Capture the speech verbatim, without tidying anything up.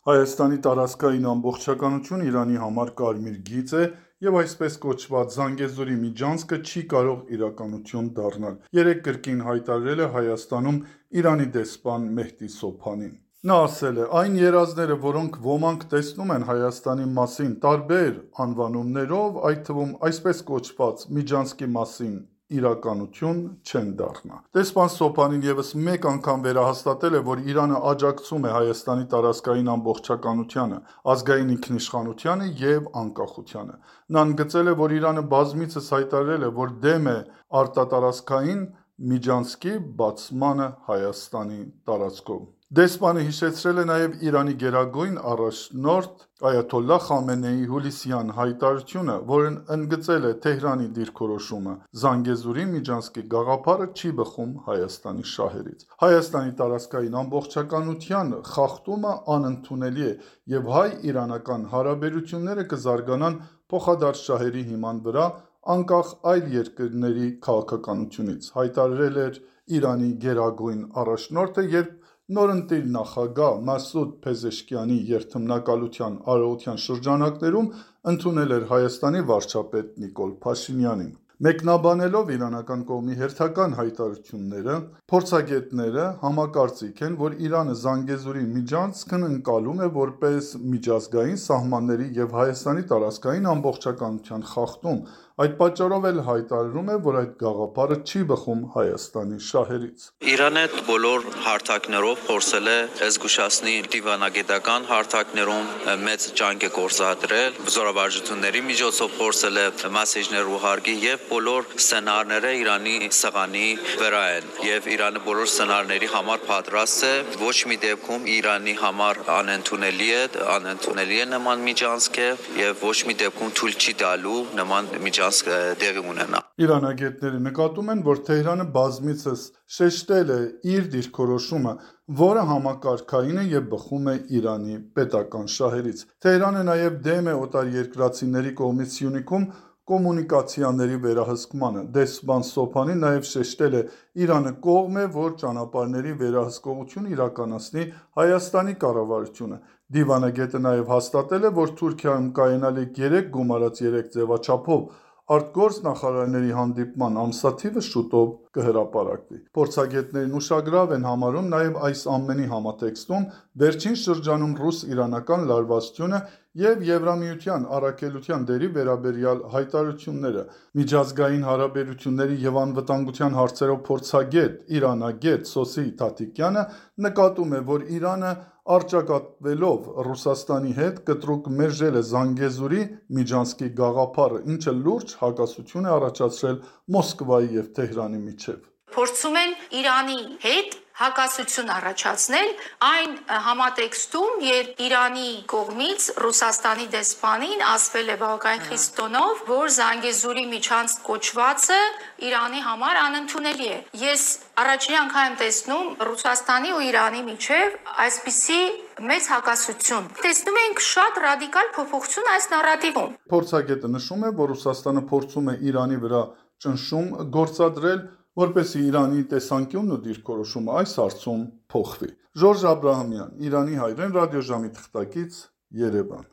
Հայաստանի տարածքային ամբողջականություն Իրանի համար կարմիր գիծ է և այսպես կոչված Զանգեզուրի միջանցքը չի կարող իրականություն դառնալ, երեկ կրկին հայտարարել է Հայաստանում Իրանի դեսպան Մեհդի Սոբհանին։ Նա ասել է. «Այն երազները, որոնք ոմանք տեսնում են Հայաստանի մասին տարբեր անվանումներով, այդ թվում այսպես կոչված միջանցքի մասին, իրականություն չեն դառնա»։ Դեսպան Սոբհանին ևս մեկ անգամ վերահաստատել է, որ Իրանը աջակցում է Հայաստանի տարածքային ամբողջականությանը, ազգային ինքնիշխանությանը և անկախությանը։ Նա ընդգծել է, որ Իրանը բազմիցս հայտարարել է, որ դեմ է արտատարածքային միջանցքի բացմանը Հայաստանի տարածքով։ Դեսպանը հիշեցրել է նաև Իրանի գերագույն առաջնորդ Այաթոլլահ Խամենեիի հուլիսյան հայտարարությունը, որն ընդգծել է Թեհրանի դիրքորոշումը՝ Զանգեզուրի միջանցքի գաղափարը չի բխում Հայաստանի շահերից։ Հայաստանի տարածքային ամբողջականության խախտումը անընդունելի է և հայ-իրանական հարաբերությունները կզարգանան փոխադարձ շահերի հիման վրա, անկախ այլ երկրների քաղաքականությունից, հայտարարել էր Իրանի գերագույն առաջնորդը, երբ նորընտիր նախագահ Մասուդ Փեզեշքիանի երդմնակալության արարողության շրջանակներում ընդունել էր Հայաստանի վարչապետ Նիկոլ Փաշինյանին։ Մեկնաբանելով իրանական կողմի հերթական հայտարարությունները, փորձագետները համակարծիք են, որ Իրանը Զանգեզուրի միջանցքն ընկալում է որպես միջազգային սահմանների և Հայաստանի տարածքային ամբողջականության խախտում, այդ պատճառով էլ հայտարարում է, որ այդ գաղափարը չի բխում Հայաստանի շահերից։ Իրանը բոլոր հարթակներով փորձել է զգուշացնել դիվանագիտական հարթակներում մեծ ջանք է գործադրել, զորավարժությունների միջոցով փորձել է մեսեջներ ուղարկի եւ բոլոր սցենարները Իրանի սղանի վրա են եւ Իրանը բոլոր սցենարների համար պատրաստ է, ոչ մի դեպքում Իրանի համար անընդունելի է, անընդունելի է նման միջանցքը եւ ոչ մի դեպքում թույլ չի տալու նման միջանցք տեղի ունենա։ Իրանագետները նկատում են, որ Թեհրանը բազմիցս շեշտել է իր դիրքորոշումը, որը համակարգային է և բխում է Իրանի պետական շահերից։ Թեհրանը նաև դեմ է օտարերկրացիների կողմից Սյունիքում կոմունիկացիաների վերահսկմանը։ Դեսպան Սոբհանին նաև շեշտել է. «Իրանը կողմ է, որ ճանապարհների վերահսկողություն իրականացնի Հայաստանի կառավարությունը»։ Դիվանագետը նաև հաստատել է, որ Թուրքիայում կայանալիք երեք գումարած երեք ձևաչափով արտգործնախարարների հանդիպման ամսաթիվը շուտով կհրապարակվի։ Փորձագետներն ուշագրավ են համարում նաև այս ամենի համատեքստում վերջին շրջանում ռուս-իրանական լարվածությունը և Եվրամիության առաքելության դերի վերաբերյալ հայտարարությունները։ Միջազգային հարաբերությունների և անվտանգության հարցերով փորձագետ, իրանագետ Սոսի Թաթիկյանը նկատում է, որ Իրանը առճակատվելով Ռուսաստանի հետ կտրուկ մերժել է Զանգեզուրի միջանցքի գաղափարը, ինչը լուրջ հակասություն է առաջացրել Մոսկվայի և Թեհրանի միջև։ Փորձում են Իրանի հետ հակասություն առաջացնել այն համատեքստում, երբ Իրանի կողմից Ռուսաստանի դեսպանին ասվել է բավականին խիստ տոնով, որ Զանգեզուրի միջանցք կոչվածը Իրանի համար անընդունելի է։ Ես առաջին անգամ եմ տեսնում Ռուսաստանի ու Իրանի միջև այսպիսի մեծ հակասություն։ Տեսնում ենք շատ ռադիկալ փոփոխություն այս նարատիվում։ Փորձագետը նշում է, որ Ռուսաստանը փորձում է Իրանի վրա ճնշում գործադրել, որպեսզի Իրանի տեսանկյունն ու դիրքորոշումը այս հարցում փոխվի։ Ժորժ Աբրահամյան, Իրանի հայրեն ռադիոժամի թղթակից, Երևան։